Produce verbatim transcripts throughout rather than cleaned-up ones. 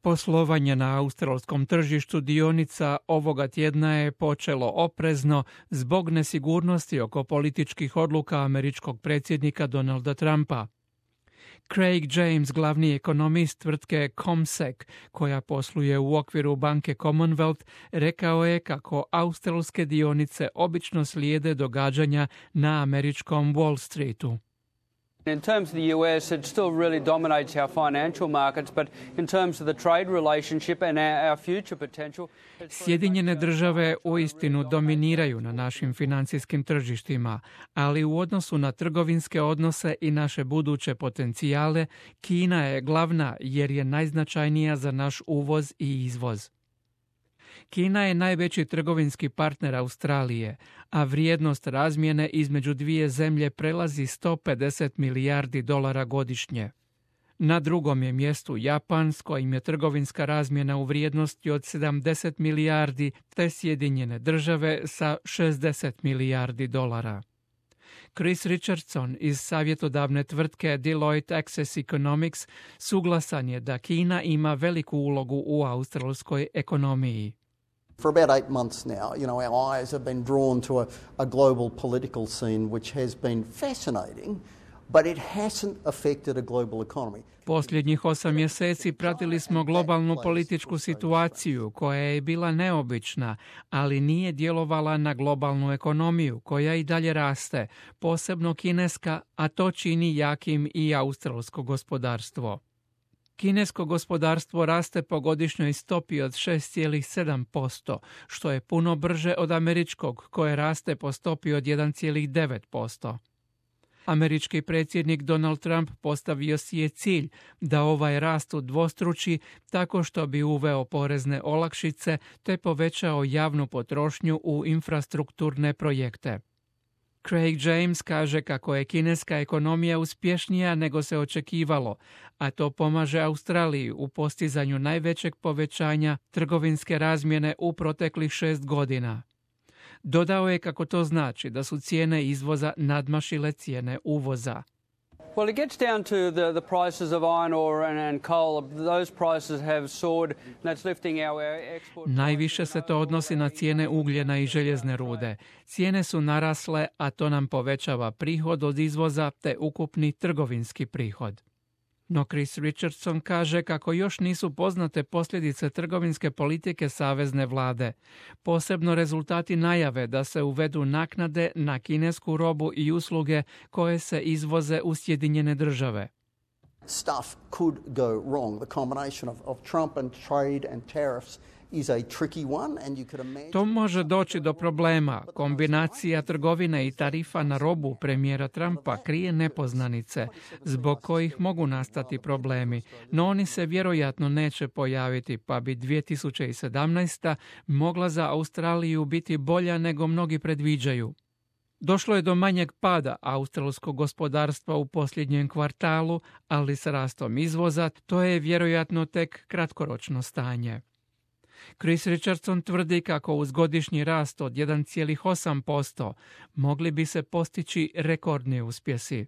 Poslovanje na australskom tržištu dionica ovoga tjedna je počelo oprezno zbog nesigurnosti oko političkih odluka američkog predsjednika Donalda Trumpa. Craig James, glavni ekonomist tvrtke CommSec, koja posluje u okviru banke Commonwealth, rekao je kako australske dionice obično slijede događanja na američkom Wall Streetu. In terms of the U S, it still really dominates our financial markets, but in terms of the trade relationship and our, our future potential... Sjedinjene države uistinu dominiraju na našim financijskim tržištima, ali u odnosu na trgovinske odnose i naše buduće potencijale, Kina je glavna jer je najznačajnija za naš uvoz i izvoz. Kina je najveći trgovinski partner Australije, a vrijednost razmjene između dvije zemlje prelazi sto pedeset milijardi dolara godišnje. Na drugom je mjestu Japan, s kojim je trgovinska razmjena u vrijednosti od sedamdeset milijardi, te Sjedinjene države sa šezdeset milijardi dolara. Chris Richardson iz savjetodavne tvrtke Deloitte Access Economics suglasan je da Kina ima veliku ulogu u australskoj ekonomiji. For about eight months now, you know, our eyes have been drawn to a, a global political scene which has been fascinating, but it hasn't affected a global economy. Posljednjih osam mjeseci pratili smo globalnu političku situaciju koja je bila neobična, ali nije djelovala na globalnu ekonomiju koja i dalje raste, posebno kineska, a to čini jakim i australsko gospodarstvo. Kinesko gospodarstvo raste po godišnjoj stopi od šest zarez sedam posto, što je puno brže od američkog, koje raste po stopi od jedan zarez devet posto. Američki predsjednik Donald Trump postavio si je cilj da ovaj rast udvostruči tako što bi uveo porezne olakšice te povećao javnu potrošnju u infrastrukturne projekte. Craig James kaže kako je kineska ekonomija uspješnija nego se očekivalo, a to pomaže Australiji u postizanju najvećeg povećanja trgovinske razmjene u proteklih šest godina. Dodao je kako to znači da su cijene izvoza nadmašile cijene uvoza. Well, it gets down to the, the prices of iron ore and, and coal. Those prices have soared, and that's lifting our export. Najviše se to odnosi na cijene ugljena i željezne rude. Cijene su narasle, a to nam povećava prihod od izvoza te ukupni trgovinski prihod. No Chris Richardson kaže kako još nisu poznate posljedice trgovinske politike savezne vlade, posebno rezultati najave da se uvedu naknade na kinesku robu i usluge koje se izvoze u Sjedinjene države. Stuff could go wrong. The combination of, of Trump and trade and tariffs is a tricky one, and you could imagine... To može doći do problema. Kombinacija trgovine i tarifa na robu premijera Trumpa krije nepoznanice, zbog kojih mogu nastati problemi, no oni se vjerojatno neće pojaviti, pa bi dvije tisuće sedamnaesta. mogla za Australiju biti bolja nego mnogi predviđaju. Došlo je do manjeg pada australskog gospodarstva u posljednjem kvartalu, ali s rastom izvoza to je vjerojatno tek kratkoročno stanje. Chris Richardson tvrdi kako uz godišnji rast od jedan zarez osam posto mogli bi se postići rekordni uspjesi.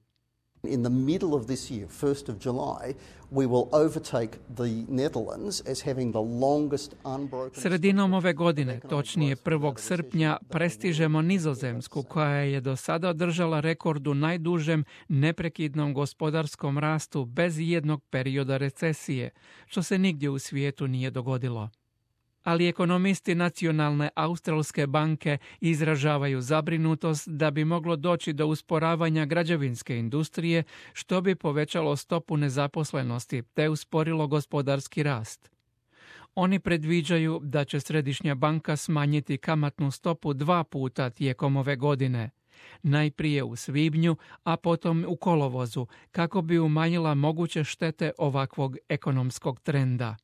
In the middle of this year, first of July, we will overtake the Netherlands as having the longest unbroken... Sredinom ove godine, točnije prvog srpnja, prestižemo Nizozemsku koja je do sada održala rekord u najdužem neprekidnom gospodarskom rastu bez jednog perioda recesije, što se nigdje u svijetu nije dogodilo. Ali ekonomisti Nacionalne australske banke izražavaju zabrinutost da bi moglo doći do usporavanja građevinske industrije, što bi povećalo stopu nezaposlenosti te usporilo gospodarski rast. Oni predviđaju da će Središnja banka smanjiti kamatnu stopu dva puta tijekom ove godine, najprije u svibnju, a potom u kolovozu, kako bi umanjila moguće štete ovakvog ekonomskog trenda.